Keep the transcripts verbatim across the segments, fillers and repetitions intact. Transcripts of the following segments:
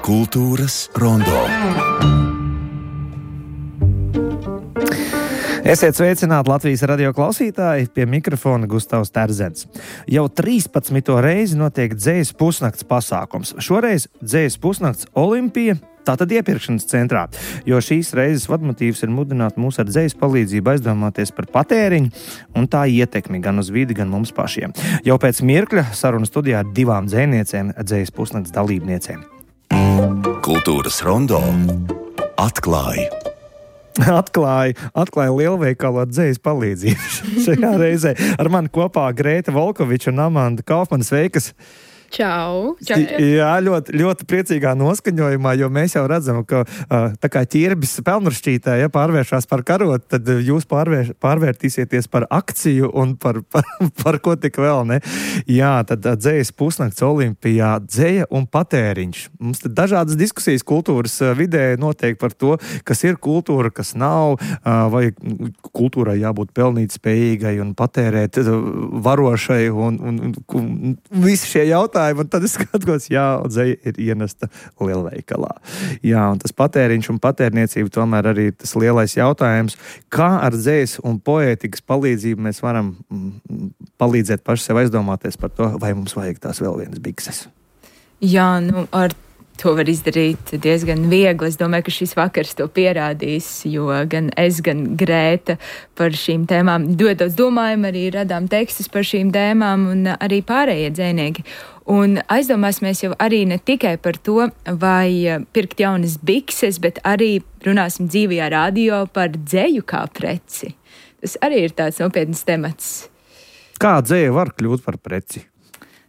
Kultūras rondo. Esiet sveicināti Latvijas radio klausītāji, pie mikrofona Gustavs Terzens. Jau trīspadsmito reizi notiek dzejas pusnakts pasākums. Šoreiz dzejas pusnakts Olimpija, tātad iepirkšanas centrā, jo šīs reizes vadmotīvs ir mudināt mūs ar dzejas palīdzību aizdomāties par patēriņu un tā ietekmi gan uz vidi, gan mums pašiem. Jau pēc mirkļa sarunu studijā ar divām dzejniecēm, dzejas pusnakts dalībniecēm. Kultūras rondo atklāja. Atklāja, atklāja lielveikalu ar dzejas palīdzību. Šajā reizē ar mani kopā Grēta Volkoviča un Amanda Kaufmana. Sveikas! Čau! Čau. Jā, ļoti, ļoti priecīgā noskaņojumā, jo mēs jau redzam, ka tā kā ķirbis pelnrašķītē, ja pārvēršās par karotu, tad jūs pārvēr, pārvērtīsieties par akciju un par, par, par ko tik vēl, ne? Jā, tad dzejas pusnakts Olimpijā, dzeja un patēriņš. Mums tad dažādas diskusijas kultūras vidē notiek par to, kas ir kultūra, kas nav, vai kultūrai jābūt pelnīt spējīgai un patērēt varošai un, un, un visi šie jautājumi. Un tad es skatos, jā, dzeja ir ienesta lielveikalā. Jā, un tas patēriņš un patērniecība tomēr arī ir tas lielais jautājums, kā ar dzejas un poētikas palīdzību mēs varam mm, palīdzēt paši sev aizdomāties par to, vai mums vajag tās vēl vienas bikses. Jā, nu ar to var izdarīt diezgan viegli. Es domāju, ka šis vakars to pierādīs, jo gan es, gan Grēta par šīm tēmām ļoti daudz domājam, arī radām tekstus par šīm tēmām un arī pārējie dzejnieki. Un aizdomāsimies jau arī ne tikai par to, vai pirkt jaunas bikses, bet arī runāsim dzīvajā radio par dzeju kā preci. Tas arī ir tāds nopietns temats. Kā dzeja var kļūt par preci?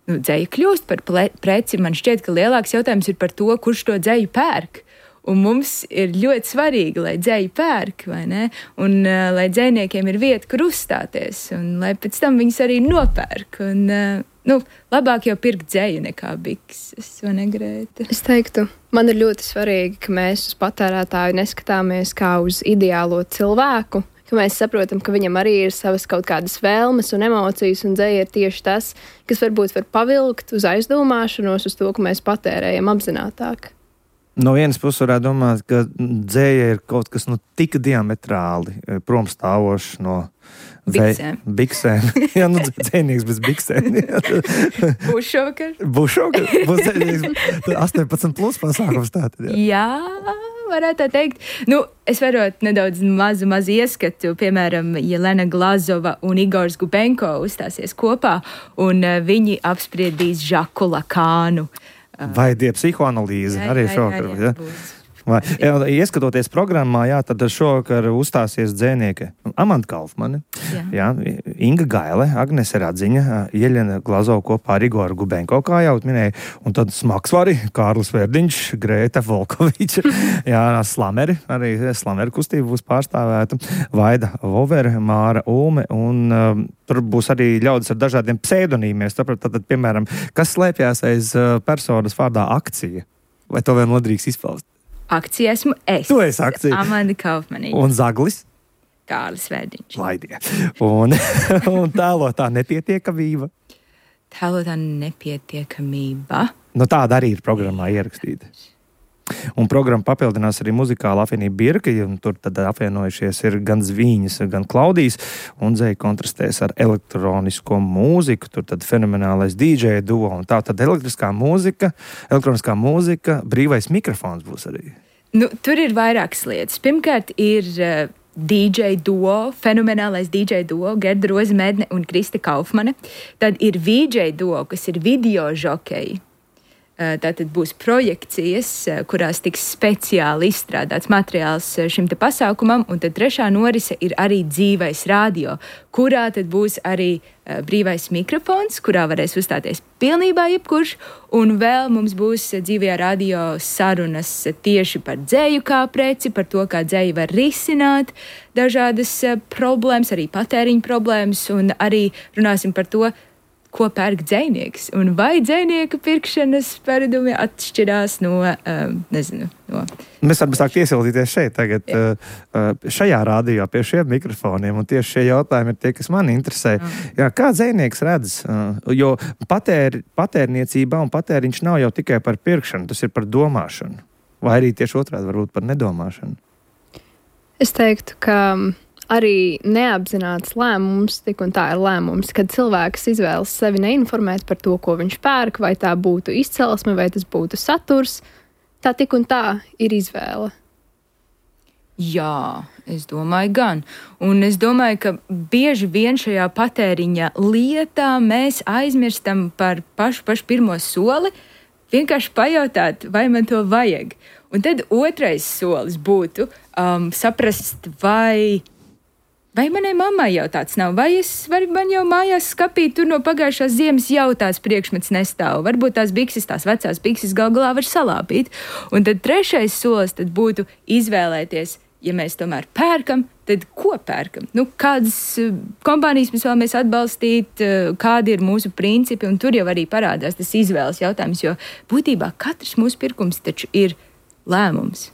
Nu, dzeja kļūst par ple- preci. Man šķiet, ka lielāks jautājums ir par to, kurš to dzeju pērk. Un mums ir ļoti svarīgi, lai dzeju pērk, vai ne? Un uh, lai dzejniekiem ir vieta, kur uzstāties, un lai pēc tam viņus arī nopērk. Un, uh, nu, labāk jau pirkt dzeju nekā bikses, vai ne, Grēta? Es teiktu, man ir ļoti svarīgi, ka mēs uz patērētāju neskatāmies kā uz ideālo cilvēku, ka mēs saprotam, ka viņam arī ir savas kaut kādas vēlmes un emocijas, un dzeja ir tieši tas, kas varbūt var pavilkt uz aizdomāšanos, uz to, ka mēs patērējam apzinātāk. No vienas puses varētu domāt, ka dzeja ir kaut kas nu, tik diametrāli promstāvošs no Biksēm. Vei, biksēm. Jā, nu dzejnieks bez biksēm. Būs šovakar? Būs šovakar. Būs dzejnieks astoņpadsmit plus pasākums tātad. Jā. Jā, varētu tā teikt. Nu, es varu nedaudz mazu, mazu ieskatu. Piemēram, Jelena Glazova un Igors Gubenko uzstāsies kopā, un uh, viņi apspriedīs Žaku Lakānu. Vai die psihoanalīze Jā, arī jā, šovakar. jā, jā, Ja? būs. Vai, jā, ieskatoties programmā, jā, tad šovakar uzstāsies dzejnieke Amanda Kaufmane, Jā. jā, Inga Gaile, Agnese Radziņa, Jeļena Glazova kopā ar Igoru Gubenko, kā jau minēja, un tad smagsvari Kārlis Verdiņš, Grēta Volkoviča, jā, Slameri, arī Slameri kustība būs pārstāvēta, Vaida Vovere, Māra Ulme, un um, tur būs arī ļaudis ar dažādiem pseidonīmiem, tāpēc, tad, piemēram, kas slēpjās aiz uh, personas vārdā akcija, vai to vēl nodrīkst izpaust? Akcija esmu es. Tu esi akcija. Amanda Kaufmanīte. Un zaglis? Kārlis Verdiņš. Laidie. Un, un tēlotā nepietiekamība? Tēlotā nepietiekamība. Nu, tāda arī ir programmā ierakstīta. Un programma papildinās arī muzikāla apvienība Birka, un tur tad apvienojušies ir gan Zvīņas, gan Klaudijas, un dzeja kontrastēs ar elektronisko mūziku, tur tad fenomenālais dī džeja duo, un tā tad elektriskā mūzika, elektroniskā mūzika, brīvais mikrofons būs arī. Nu, tur ir vairākas lietas. Pirmkārt ir uh, dī džeja duo, fenomenālais dī džeja duo, Gerda Rozmedne un Krista Kaufmane. Tad ir vī džeja duo, kas ir video žokeji. Tātad būs projekcijas, kurās tiks speciāli izstrādāts materiāls šim te pasākumam, un tad trešā norise ir arī dzīvais radio, kurā tad būs arī brīvais mikrofons, kurā varēs uzstāties pilnībā jebkurš, un vēl mums būs dzīvajā radio sarunas tieši par dzeju kā preci, par to, kā dzeja var risināt dažādas problēmas, arī patēriņu problēmas, un arī runāsim par to, ko pērk dzejnieks, un vai dzejnieka pirkšanas paradumi atšķirās no, um, nezinu, no... Mēs varam sākt iesildīties šeit tagad, uh, šajā rādījā pie šiem mikrofoniem, un tieši šie jautājumi ir tie, kas mani interesē. Jā. Jā, kā dzejnieks redz, uh, jo patēr, patērniecībā un patēriņš nav jau tikai par pirkšanu, tas ir par domāšanu, vai arī tieši otrādi varbūt par nedomāšanu. Es teiktu, ka arī neapzināts lēmums, tik un tā ir lēmums, kad cilvēks izvēlas sevi neinformēt par to, ko viņš pērk, vai tā būtu izcelsme, vai tas būtu saturs, tā tik un tā ir izvēle. Jā, es domāju gan. Un es domāju, ka bieži vien šajā patēriņa lietā mēs aizmirstam par pašu, pašu pirmo soli, vienkārši pajautāt, vai man to vajag. Un tad otrais solis būtu um, saprast, vai... Vai manai mammai jau tāds nav? Vai, es, vai man jau mājās skapī tur no pagājušās ziemas jau tāds priekšmets nestāv? Varbūt tās bikses, tās vecās bikses gal galā var salāpīt. Un tad trešais solis tad būtu izvēlēties, ja mēs tomēr pērkam, tad ko pērkam? Nu, kādas kompānijas mēs vēlamies atbalstīt, kādi ir mūsu principi, un tur jau arī parādās tas izvēles jautājums, jo būtībā katrs mūsu pirkums taču ir lēmums.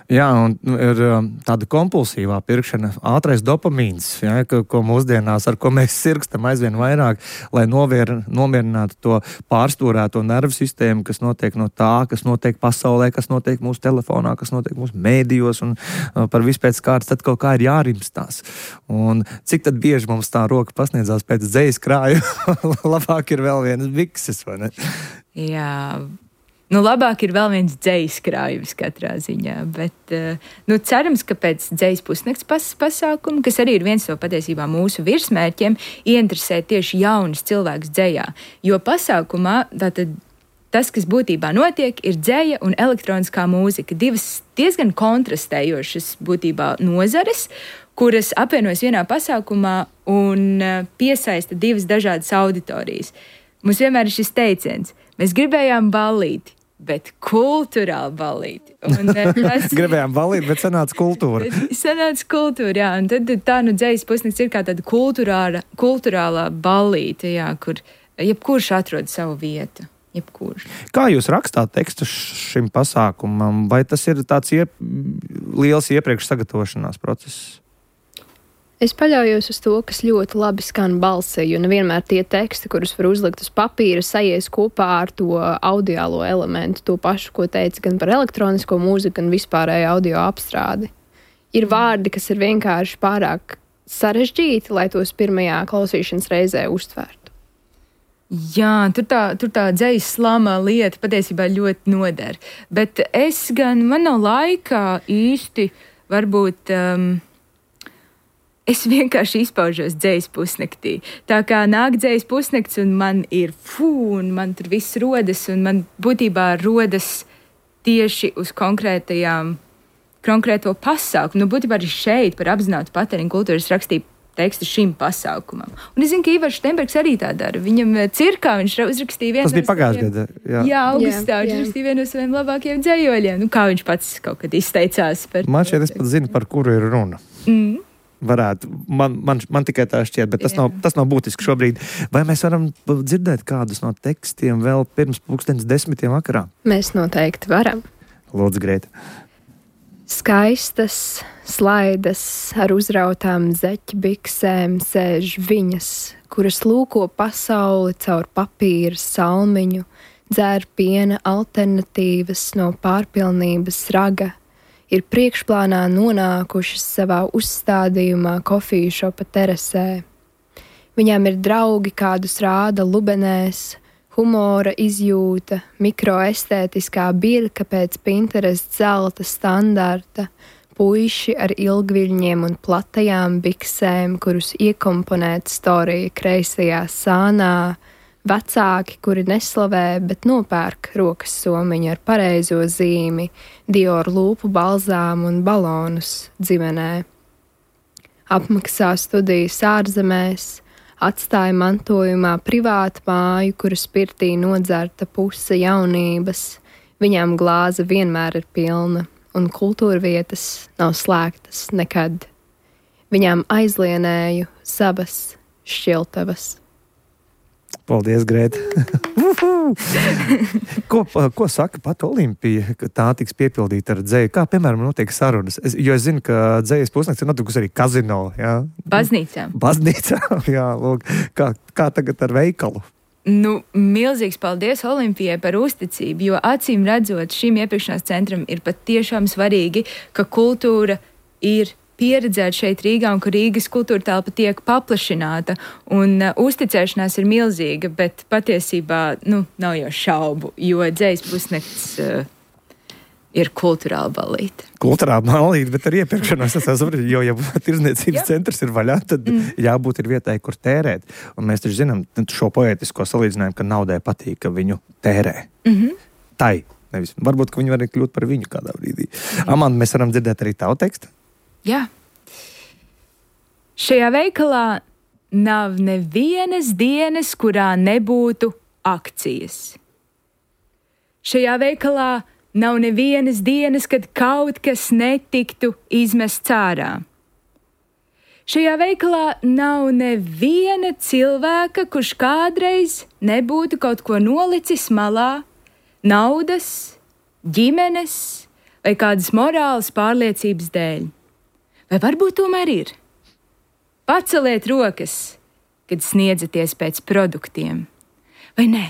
Jā, un ir tāda kompulsīvā pirkšana, ātrais dopamīns, ja, ko, ko mūsdienās, ar ko mēs sirgstam aizvien vairāk, lai novier, nomierinātu to pārstūrēto nervu sistēmu, kas notiek no tā, kas notiek pasaulē, kas notiek mūsu telefonā, kas notiek mūsu mēdījos, un uh, par vispēc kārtas tad kaut kā ir jārimstās. Un cik tad bieži mums tā roka pasniedzās pēc dzejas krāju, labāk ir vēl vienas bikses, vai ne? Jā. Nu, labāk ir vēl viens dzejas krājums katrā ziņā, bet nu, cerams, ka pēc dzejas pusnakts pas, pasākuma, kas arī ir viens no patiesībā mūsu virsmērķiem, ieinteresēt tieši jaunus cilvēkus dzejā. Jo pasākumā tātad tas, kas būtībā notiek, ir dzeja un elektroniskā mūzika. Divas diezgan kontrastējošas būtībā nozares, kuras apvienojas vienā pasākumā un piesaista divas dažādas auditorijas. Mums vienmēr ir šis teiciens. Mēs gribējām ballīti, bet kultūrāli ballīti. Un, tas... gribējām ballīti, bet sanāca kultūra. sanāca kultūra, jā. Un tad tā nu dzejas pusnakts ir kā tāda kultūrāla, kultūrālā ballīte, jā, kur jebkurš atrod savu vietu. Jebkurš. Kā jūs rakstāt tekstu šim pasākumam? Vai tas ir tāds iep... liels iepriekš sagatavošanās process? Es paļaujos uz to, kas ļoti labi skan balsī, jo nevienmēr tie teksti, kurus var uzlikt uz papīra, sajies kopā ar to audiālo elementu, to pašu, ko teica gan par elektronisko mūziku, gan vispārēju audio apstrādi. Ir vārdi, kas ir vienkārši pārāk sarežģīti, lai tos pirmajā klausīšanas reizē uztvērtu. Jā, tur tā, tur tā dzejas slama lieta patiesībā ļoti noder. Bet es gan, man nav laikā īsti varbūt... Um, Es vienkārši izpaužos dzejas pusnaktī. Tā kā nāk dzejas pusnakts un man ir fū, un man tur viss rodas, un man būtībā rodas tieši uz konkrētajām, konkrēto pasākumu. Nu, būtībā arī šeit par apzinātu patēriņu kultūru es rakstīju tekstu šim pasākumam. Un es zinu, ka Ivars Štenbergs arī tā dara. Viņam cirkā viņš uzrakstīja vienu Tas bija pagājušajā gadā. Jā, jā augustā viņš uzrakstīja vienu no saviem labākajiem dzējoļiem. Nu, kā viņš pats kaut kad izteicās par... Man šķiet, es pat zinu, par kuru ir runa. Mm. Varētu. Man, man, man tikai tā šķiet, bet tas nav, tas nav būtiski šobrīd. Vai mēs varam dzirdēt kādus no tekstiem vēl pirms pulkstenes desmitiem vakarā? Mēs noteikti varam. Lūdzu, Grēta. Skaistas slaidas ar uzrautām zeķbiksēm sēž viņas, kuras lūko pasauli caur papīra salmiņu, dzēr piena alternatīvas no pārpilnības raga, ir priekšplānā nonākušas savā uzstādījumā kofiju šopa terasē. Viņām ir draugi, kādus rāda lubenēs, humora izjūta, mikroestētiskā birka pēc Pinterest zelta standarta, puiši ar ilgviļņiem un platajām biksēm, kurus iekomponēt storija kreisajā sānā, vecāki, kuri neslavē, bet nopērk rokas somiņu ar pareizo zīmi, Dior lūpu balzāmu un balonus dzimenē. Apmaksā studijas ārzemēs, atstāja mantojumā privātu māju, kuras pirtī nodzerta puse jaunības. Viņām glāze vienmēr ir pilna, un kultūrvietas nav slēgtas nekad. Viņām aizlienēju savas šķiltavas. Paldies, Grēta. ko, ko saka pat Olimpija, ka tā tiks piepildīta ar dzeju? Kā, piemēram, notiek sarunas? Es, jo es zinu, ka dzejas pusnakts ir notikusi arī kazino. Jā? Baznīcā. Baznīcā, jā, lūk. Kā, kā tagad ar veikalu? Nu, milzīgs paldies Olimpijai par uzticību, jo acīm redzot šim iepirkšanās centram ir pat tiešām svarīgi, ka kultūra ir pieredzēt šeit Rīgā un ka Rīgas kultūra telpa tiek paplašināta un uh, uzticēšanās ir milzīga, bet patiesībā, nu, nav jau šaubu, jo dzejas pusnakts uh, ir kultūrāla ballīte. Kultūrāla ballīte, bet ar iepirkšanos es saprotu, jo, ja tirdzniecības centrs ir vaļā, tad mm. jābūt ir vietai, kur tērēt. Un mēs taču zinām šo poētisko salīdzinājumu, ka naudai patīk, ka viņu tērē. Mm-hmm. Tai, nevis. Varbūt, ka viņi var kļūt par viņu kādā brīdī. Mm. Amanda, mēs varam dzirdēt arī tavu tekstu? Jā. Šajā veikalā nav nevienas dienas, kurā nebūtu akcijas. Šajā veikalā nav nevienas dienas, kad kaut kas netiktu izmests ārā. Šajā veikalā nav neviena cilvēka, kurš kādreiz nebūtu kaut ko nolicis malā, naudas, ģimenes vai kādas morālas pārliecības dēļ. Vai varbūt tomēr ir? Paceliet rokas, kad sniedzaties pēc produktiem. Vai nē?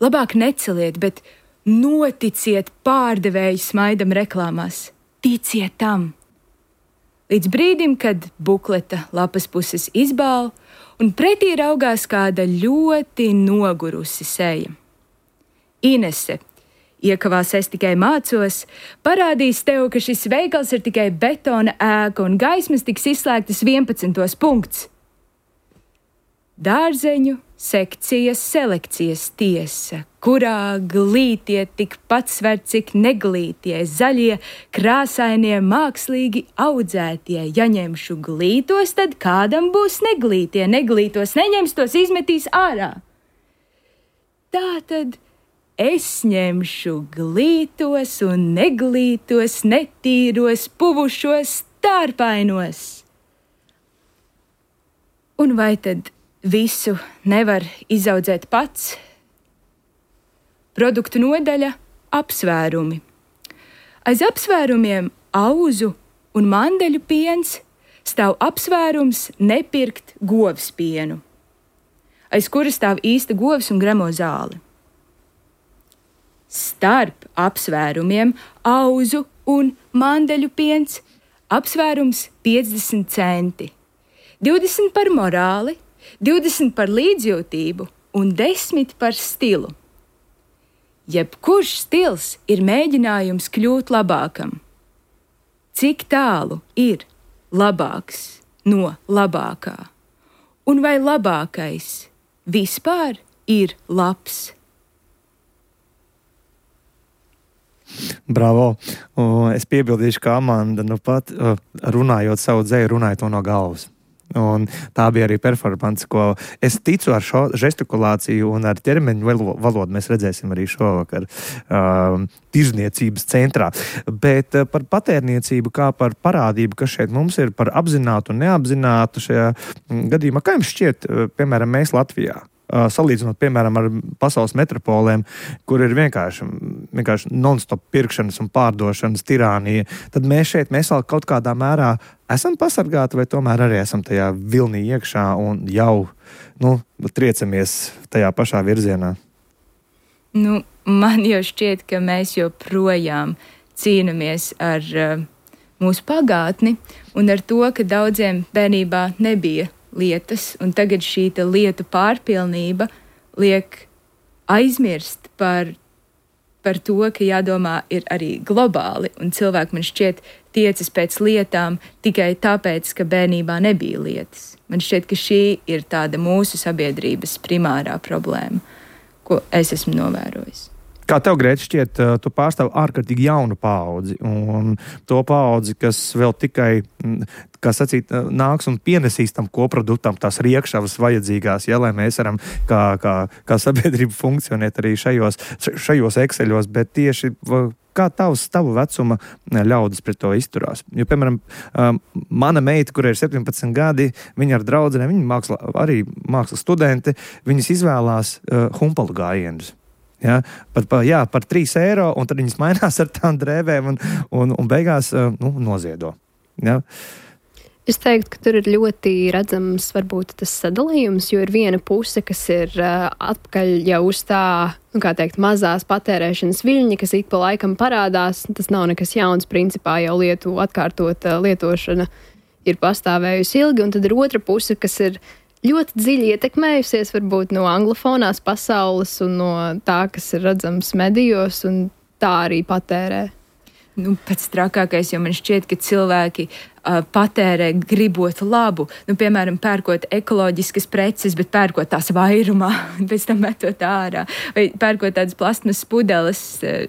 Labāk neceliet, bet noticiet pārdevēju smaidam reklāmās. Ticiet tam. Līdz brīdim, kad bukleta lapas puses izbāl un pretī raugās kāda ļoti nogurusi seja. Inese, iekavās es tikai mācos, parādīs tev, ka šis veikals ir tikai betona ēka un gaismas tiks izslēgtas vienpadsmitos punkts. Dārzeņu sekcijas selekcijas tiesa, kurā glītie tikpat sver, cik neglītie, zaļie, krāsainie, mākslīgi audzētie. Ja ņemšu glītos, tad kādam būs neglītie, neglītos neņems, tos izmetīs ārā. Tātad es ņemšu glītos un neglītos, netīros, puvušos, stārpainos. Un vai tad visu nevar izaudzēt pats? Produktu nodaļa – apsvērumi. Aiz apsvērumiem auzu un mandeļu piens stāv apsvērums nepirkt govs pienu, aiz kura stāv īsta govs un gremo zāli. Starp apsvērumiem auzu un mandeļu piens apsvērums piecdesmit centi, divdesmit par morāli, divdesmit par līdzjūtību un desmit par stilu. Jebkurš stils ir mēģinājums kļūt labākam. Cik tālu ir labāks no labākā? Un vai labākais vispār ir labs? Bravo! Es piebildīšu, ka Amanda nu pat runājot savu dzeju, runāja to no galvas. Un tā bija arī performance, ko es ticu ar šo žestikulāciju un ar ķermeņu valodu mēs redzēsim arī šovakar uh, tirzniecības centrā. Bet uh, par patērniecību kā par parādību, kas šeit mums ir par apzinātu un neapzinātu šajā gadījumā, kā jums šķiet, uh, piemēram, mēs Latvijā? Uh, salīdzinot, piemēram, ar pasaules metropolēm, kur ir vienkārši, vienkārši non-stop pirkšanas un pārdošanas tirānija, tad mēs šeit, mēs vēl kaut kādā mērā esam pasargāti vai tomēr arī esam tajā vilnī iekšā un jau, nu, triecamies tajā pašā virzienā? Nu, man jau šķiet, ka mēs joprojām cīnamies ar uh, mūsu pagātni un ar to, ka daudziem bērnībā nebija lietas, un tagad šī lietu pārpilnība liek aizmirst par, par to, ka jādomā ir arī globāli, un cilvēki man šķiet tiecas pēc lietām tikai tāpēc, ka bērnībā nebija lietas. Man šķiet, ka šī ir tāda mūsu sabiedrības primārā problēma, ko es esmu novērojis. Kā tev, Grēta, šķiet, tu pārstāv ārkārtīgi jaunu paudzi, un to paudzi, kas vēl tikai, kā sacīt, nāks un pienesīs tam koproduktam tās riekšavas vajadzīgās, ja, lai mēs varam kā, kā, kā sabiedrība funkcionēt arī šajos, šajos ekseļos, bet tieši kā tavs, tavu vecuma ļaudis pret to izturās? Jo, piemēram, mana meita, kurai ir septiņpadsmit gadi, viņa ar draudzenēm, viņa māksla, arī mākslas studenti, viņas izvēlās uh, humpalu gājienus. Ja? Par, par, jā, par trīs eiro, un tad viņas mainās ar tām drēvēm un, un, un beigās uh, nu, noziedo. Ja? Es teiktu, ka tur ir ļoti redzams varbūt tas sadalījums, jo ir viena puse, kas ir uh, atpakaļ jau uz tā, nu kā teikt, mazās patērēšanas viļņa, kas ik pa laikam parādās. Tas nav nekas jauns, principā jau lietu atkārtot uh, lietošana ir pastāvējusi ilgi, un tad ir otra puse, kas ir ļoti dziļi ietekmējusies varbūt no anglofonās pasaules un no tā, kas ir redzams medijos, un tā arī patērē. Nu, pats trakākais, jo man šķiet, ka cilvēki uh, patērē gribot labu. Nu, piemēram, pērkot ekoloģiskas preces, bet pērkot tās vairumā, pēc tam metot ārā. Vai pērkot tādas plasmas pudeles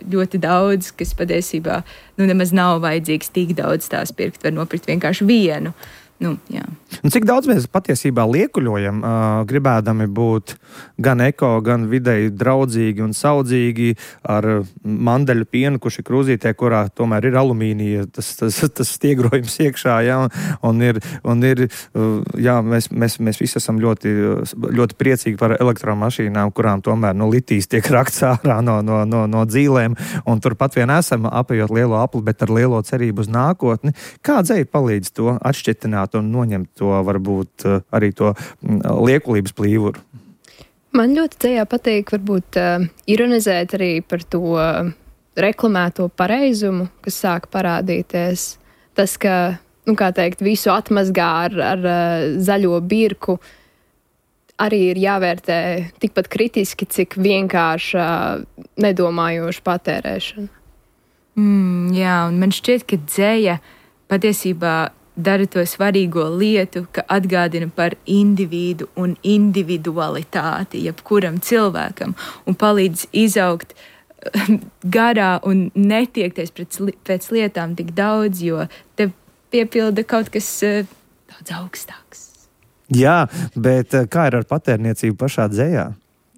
ļoti daudz, kas patiesībā nu, nemaz nav vajadzīgs tik daudz tās pirkt, var nopirkt vienkārši vienu. Nu, jā. Un cik daudz mēs patiesībā liekuļojam, uh, gribēdami būt gan eko, gan videi draudzīgi un saudzīgi ar mandeļu pienu, kurš ir krūzītē, kurā tomēr ir alumīnija, tas, tas, tas stiegrojums iekšā, jā, un ir, un ir uh, jā, mēs, mēs, mēs visi esam ļoti, ļoti priecīgi par elektromašīnām, kurām tomēr no litijas tiek rakts ārā no, no, no, no dzīlēm, un turpat vien esam apējot lielo apli, bet ar lielo cerību uz nākotni. Kā dzēja palīdz to atšķetināt un noņemt to, varbūt, arī to liekulības plīvuru? Man ļoti dzējā patīk, varbūt, uh, ironizēt arī par to uh, reklamēto pareizumu, kas sāk parādīties. Tas, ka, nu, kā teikt, visu atmazgā ar, ar uh, zaļo birku, arī ir jāvērtē tikpat kritiski, cik vienkārši uh, nedomājoša patērēšana. Mm, jā, un man šķiet, ka dzēja patiesībā dara to svarīgo lietu, ka atgādina par individu un individualitāti jebkuram cilvēkam un palīdz izaugt garā un netiekties pēc, pēc lietām tik daudz, jo te piepilda kaut kas uh, daudz augstāks. Jā, bet kā ir ar patērniecību pašā dzējā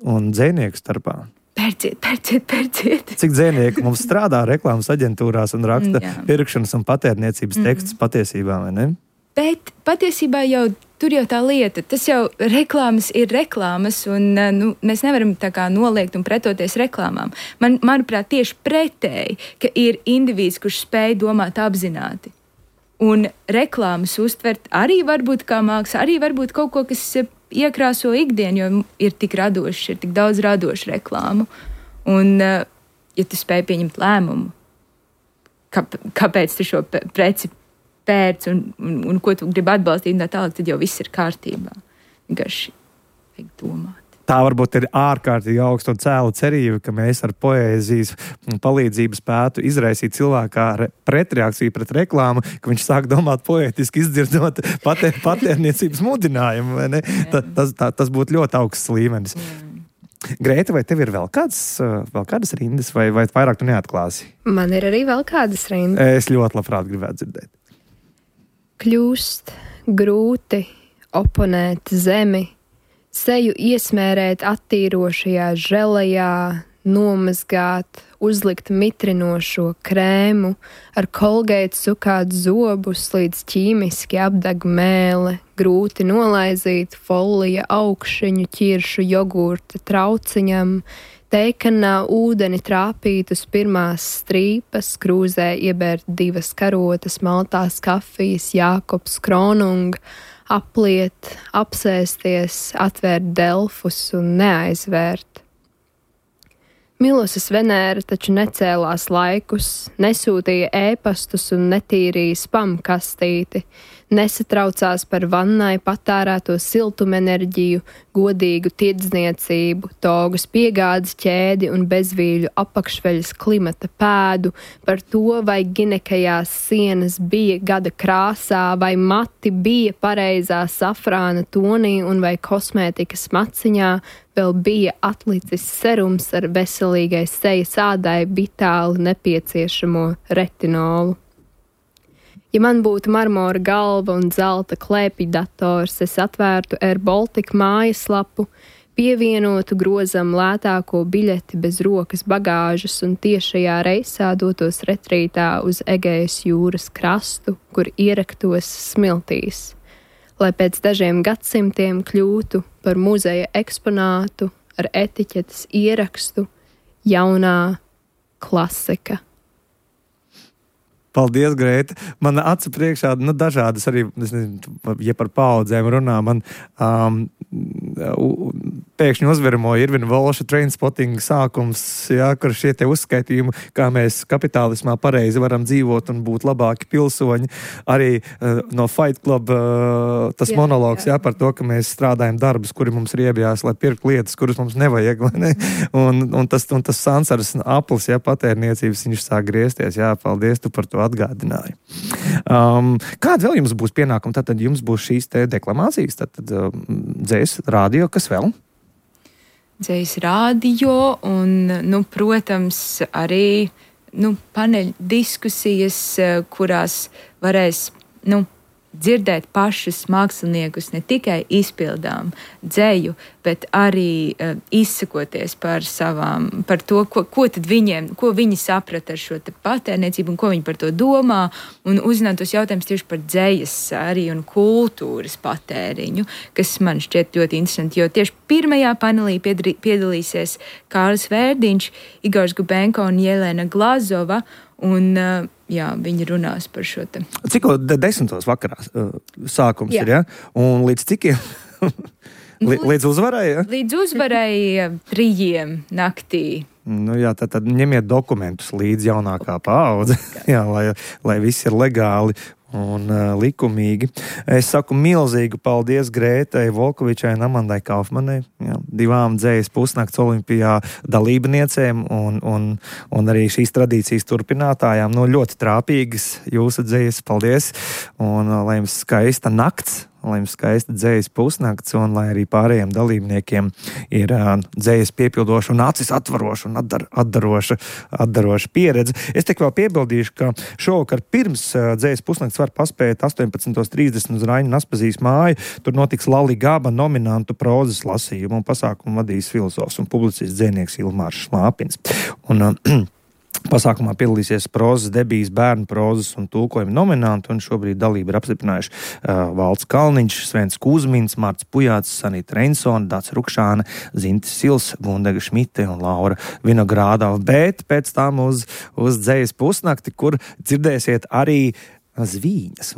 un dzējnieku starpā? Pērciet, pērciet, pērciet. Cik dzējnieki mums strādā reklāmas aģentūrās un raksta Jā. pirkšanas un patērniecības mm-hmm. tekstus patiesībā, vai ne? Bet patiesībā jau tur jau tā lieta, tas jau reklāmas ir reklāmas, un nu, mēs nevaram tā kā noliegt un pretoties reklāmām. Man, manuprāt, tieši pretēji, ka ir indivīds, kurš spēj domāt apzināti. Un reklāmas uztvert arī varbūt kā māksla, arī varbūt kaut ko, kas iekrāso ikdienu, jo ir tik radoši, ir tik daudz radošu reklāmu. Un, ja tu spēj pieņemt lēmumu, kā, kāpēc tu šo preci pērc un, un, un ko tu gribi atbalstīt, un tā tālāk, tad jau viss ir kārtībā. Vienkārši vajag domāt. Tā varbūt ir ārkārtīgi augsta un cēla cerība, ka mēs ar poēzijas palīdzību spētu izraisīt cilvēkā pretreakciju pret reklāmu, ka viņš sāk domāt poētiski, izdzirdot patēr, patērniecības mudinājumu. Vai ne? Ta, tas, tā, tas būtu ļoti augsts līmenis. Jā. Grēta, vai tev ir vēl, kāds, vēl kādas rindas, vai, vai vairāk tu neatklāsi? Man ir arī vēl kādas rindas. Es ļoti labprāt gribētu dzirdēt. Kļūst grūti oponēt zemi, seju iesmērēt attīrošajā želejā, nomazgāt, uzlikt mitrinošo krēmu, ar kolgeitu sukāt zobus, līdz ķīmiski apdeg mēle, grūti nolaizīt folija augšiņu ķiršu jogurta trauciņam, teikanā ūdeni trāpīt uz pirmās strīpas, krūzē iebērt divas karotas, maltās kafijas, Jākobs Kronung, apliet, apsēsties, atvērt delfus un neaizvērt. Milosas Venēra taču necēlās laikus, nesūtīja ēpastus un netīrīja spam kastīti, nesatraucās par vannai patērēto siltumenerģiju, godīgu tirdzniecību, togas piegādes ķēdi un bezvīļu apakšveļas klimata pēdu, par to, vai ginekajās sienas bija gada krāsā, vai mati bija pareizā safrāna tonī un vai kosmētikas maciņā vēl bija atlicis serums ar veselīgai sejas ādai vitāli nepieciešamo retinolu. Ja man būtu marmora galva un zelta klēpja dators, es atvērtu Air Baltica mājaslapu, pievienotu grozam lētāko biļeti bez rokas bagāžas un tiešajā reisā dotos retrītā uz Egejas jūras krastu, kur ieraktos smiltīs, lai pēc dažiem gadsimtiem kļūtu par muzeja eksponātu ar etiķetes ierakstu jaunā klasika. Paldies, Grēta. Man acu priekšā, nu, dažādas arī, es nezinu, ja par paudzēm runā, man um, pēkšņi uzveramo Irvina Volša Trainspotting sākums, jā, kur šie te uzskaitījumi, kā mēs kapitālismā pareizi varam dzīvot un būt labāki pilsoņi. Arī uh, no Fight Club uh, tas jā, monologs, jā. jā, par to, ka mēs strādājam darbus, kuri mums riebjās, lai pirkt lietas, kuras mums nevajag, vai ne? Un, un tas, un tas Sansaras aplis, jā, patērniecības, viņš sāk griezties, jā, paldies, tu par to atgādināju. Um, kāda vēl jums būs pienākuma? Tātad jums būs šīs te deklamācijas, tātad um, dzēs rādio, kas vēl? Dzēs rādio un, nu, protams, arī, nu, paneļu diskusijas, kurās varēs, nu, dzirdēt pašus māksliniekus ne tikai izpildām dzēju, bet arī uh, izsakoties par savām, par to, ko, ko tad viņiem, ko viņi saprata ar šo te patērniecību un ko viņi par to domā, un uzzināt tos jautājumus tieši par dzējas arī un kultūras patēriņu, kas man šķiet ļoti interesanti, jo tieši pirmajā panelī piedalī, piedalīsies Kārlis Vērdiņš, Igors Gubenko un Jelena Glazova, un uh, jā, viņi runās par šo te. Cikko desmitos vakarā uh, sākums jā. ir, ja? Un līdz cikiem? L- līdz uzvarai, ja? Līdz uzvarai trījiem naktī. Nu jā, tad, tad ņemiet dokumentus līdz jaunākā paudze, jā, lai, lai viss ir legāli un uh, likumīgi. Es saku milzīgu paldies Grētai Volkovičai un Amandai Kaufmanai, jā, divām dzējas pusnakts olimpijā dalībniecēm un, un, un arī šīs tradīcijas turpinātājām. Nu, ļoti trāpīgas jūsu dzējas, paldies, un uh, lai jums skaista nakts, lai jums skaista dzējas pusnakts, un lai arī pārējiem dalībniekiem ir uh, dzējas piepildoša un acis atvaroša un atdar, atdaroša, atdaroša pieredze. Es tik vēl piebildīšu, ka šovakar pirms uh, dzējas pusnakts var paspēt astoņpadsmit trīsdesmit uz Raņa Naspazīs māju. Tur notiks Lali Gaba nominantu prozas lasījumu, un pasākumu vadīs filozofs un publicists dzēnieks Ilmārs Šlāpins. Un, uh, Pasākumā piedalīsies prozas, debijas, bērnu prozas un tulkojuma nominanti, un šobrīd dalību ir apstiprinājuši uh, Valds Kalniņš, Svens Kuzmins, Marts Pujāts, Sanita Reinsona, Dācis Rukšāne, Zintis Sils, Gundega Šmite un Laura Vinogrādava. Bet pēc tam uz, uz dzējas pusnakti, kur dzirdēsiet arī zvīņas.